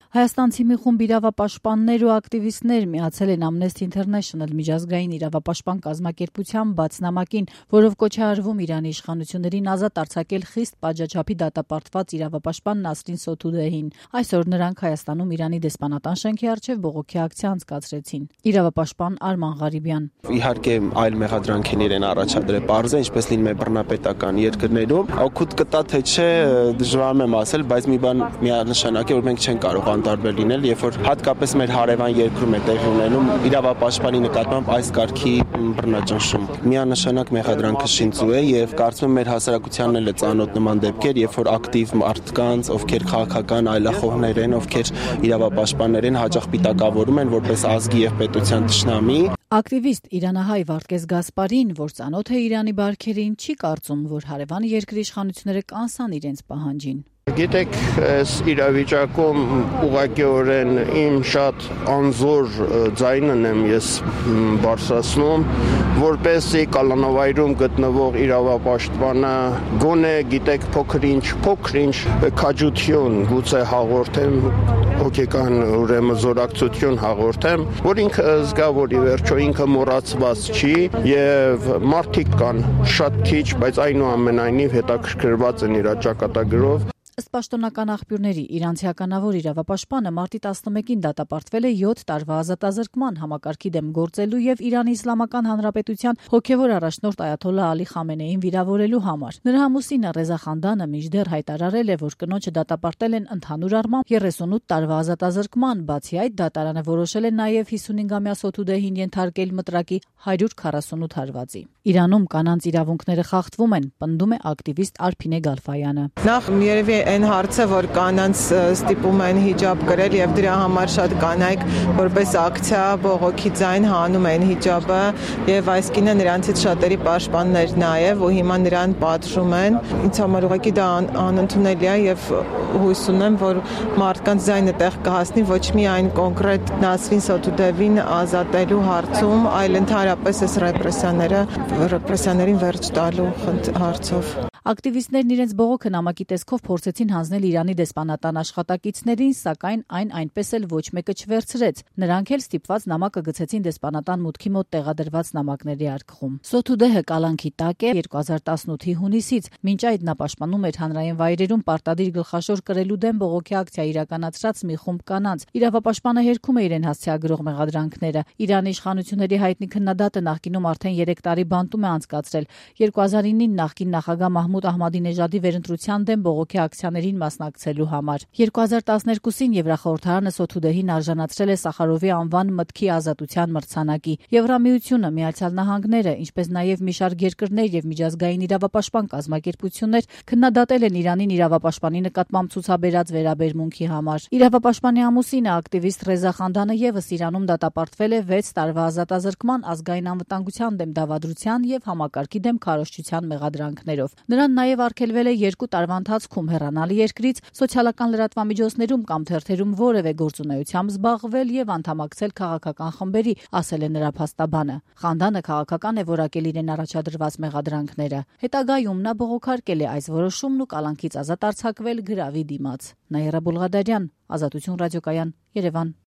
Հայաստանցի մի խումբ իրավապաշտպաններ ու ակտիվիստներ միացել են Amnesty International միջազգային իրավապաշտպան կազմակերպության բաց նամակին, որով կոչ է արվում Իրանի իշխանություններին ազատ արձակել խիստ պատժաչափի դատապարտված իրավապաշտպան Նասրին Սոթուդեհին։ Այսօր նրանք Հայաստանում Իրանի դեսպանատան շենքի առջև բողոքի ակցիա անցկացրեցին։ Իրավապաշտպան Արման Ղարիբյան. Իհարկե այլ մեղադրանքներ են առաջադրել, պարզ է, ինչպես լինում է բռնապետական երկրներում, օգուտ կտա թե չէ դժվար եմ ասել, բայց մի բան միանշանակ է, որ մենք չենք կարող տարբեր լինել, երբ որ հատկապես մեր հարևան երկրում է տեղի ունենում իրավապաշտպանի նկատմամբ այս կարգի բռնաճնշում։ Միանշանակ մեղադրանքը շինծու է եւ կարծում եմ մեր հասարակությանն էլ է ծանոթ նման դեպքեր, երբ որ ակտիվ մարդկանց, ովքեր քաղաքական այլախոհներ են, ովքեր իրավապաշտպաններ են, հաճախ պիտակավորում են որպես ազգի եւ պետության թշնամի։ Ակտիվիստ իրանահայ Վարդգես Գասպարին, որ ծանոթ է Իրանի բարքերին, չի կարծում, որ հարևան երկրի իշխանությունները կանսան իրենց պահանջին։ Գիտեք, այս իրավիճակում ուղղակիորեն իմ շատ անզոր ձայնն եմ ես բարձրացնում, որպեսզի կալանավայրում գտնվող իրավապաշտպանը գոնե գիտեք փոքր-ինչ քաջություն գուցե հաղորդեմ, հոգեկան ուրեմն զորակցություն հաղորդեմ, որ ինքը զգա, որ ի վերջո ինքը մոռացված չի եւ մարդիկ կան շատ քիչ, բայց այնուամենայնիվ հետաքրքրված են իր ճակատագրով։ Ըստ պաշտոնական աղբյուրների, իրանցի ականավոր իրավապաշտպանը մարտի 11-ին դատապարտվել է 7 տարվա ազատազրկման համակարգի դեմ գործելու եւ Իրանի Իսլամական Հանրապետության հոգեվոր առաջնորդ Այաթոլլահ Ալի Խամենեին վիրավորելու համար։ Նրա ամուսինը Ռեզա Խանդանը մինչդեռ հայտարարել է, որ կնոջը դատապարտել են ընդհանուր առմամբ 38 տարվա ազատազրկման, բացի այդ դատարանը որոշել է նաեւ 55-ամյա Սոթուդեհին ենթարկել մտրակի 148 հարվածի։ Իրանում կանանց իրավունքները խախտվում են, պնդում է ակտիվիստ Արփինե Գալֆայանը։ Նախ երևի այն հարցը, որ կանանց ստիպում են հիջաբ կրել եւ դրա համար շատ կանայք որպես ակցիա բողոքի ձայն հանում են հիջաբը եւ այս կինը նրանցից շատերի պաշտպաններ նաեւ ու հիմա նրան պատժում են։ Ինձ համար ուղղակի դա անընդունելի է եւ հույս ունեմ, որ մարդկանց ձայնը տեղ կհասնի ոչ միայն կոնկրետ Նասրին Սոթուդեհին ազատելու հարցում, այլ ընդհանրապես այս ռեպրեսիաներին վերջ տալու հարցով։ Ակտիվիստներն իրենց բողոքը նամակի տեսքով փորձեցին հանձնել Իրանի դեսպանատան աշխատակիցներին, սակայն այն այնպես էլ ոչ մեկը չվերցրեց։ Նրանք էլ ստիպված նամակը գցեցին դեսպանատան մուտքի մոտ տեղադրված նամակների արկղում։ Սոթուդեհը կալանքի տակ է 2018-ի հունիսից։ Մինչ այդ նա պաշտպանում էր հանրային վայրերում պարտադիր գլխաշոր կրելու դեմ բողոքի ակցիա իրականացրած մի խումբ կանանց։ Իրավապաշտպանը հերքում է իրեն հասցեագրող մեղադրանքները։ Իրանի իշխանությունների հայտնի քննադատը նախկինում արդեն 3 տարի բանտում է անցկացրել։ 2009-ին նախկին նախագահ Մահմուդ Ահմադինեժադի վերընտրության դեմ բողոքի ակցիաներին մասնակցելու համար։ 2012-ին Եվրախորհրդարանը Սոթուդեհին արժանացրել է Սախարովի անվան մտքի ազատության մրցանակի։ Եվրամիությունը, Միացյալ Նահանգները, ինչպես նաև մի շարք երկրներ եւ միջազգային իրավապաշտպան կազմակերպություններ քննադատել են Իրանին իրավապաշտպանի նկատմամբ ցուցաբերած վերաբերմունքի համար։ Իրավապաշտպանի ամուսինը ակտիվիստ Ռեզա Խանդանը եւս Իրանում դատապարտվել է 6 տարվա ազատազրկման, ազգային անվտանգության դեմ դավադրության եւ համակարգի դեմ քարոզչության մեղադրանքներով։ Նրան նաև արգելվել է 2 տարվա ընթացքում հեռանալ երկրից, սոցիալական լրատվամիջոցներում կամ թերթերում որևէ գործունեությամբ զբաղվել եւ անդամակցել քաղաքական խմբերի, ասել է նրա փաստաբանը։ Խանդանը քաղաքական է որակել իրեն առաջադրված մեղադրանքները։ Հետագայում նա բողոքարկել է այս որոշումն ու կալանքից ազատ արձակվել գրավի դիմաց։ Նաիրա Բուլղադարյան, Ազատություն ռադիոկայան, Երևան։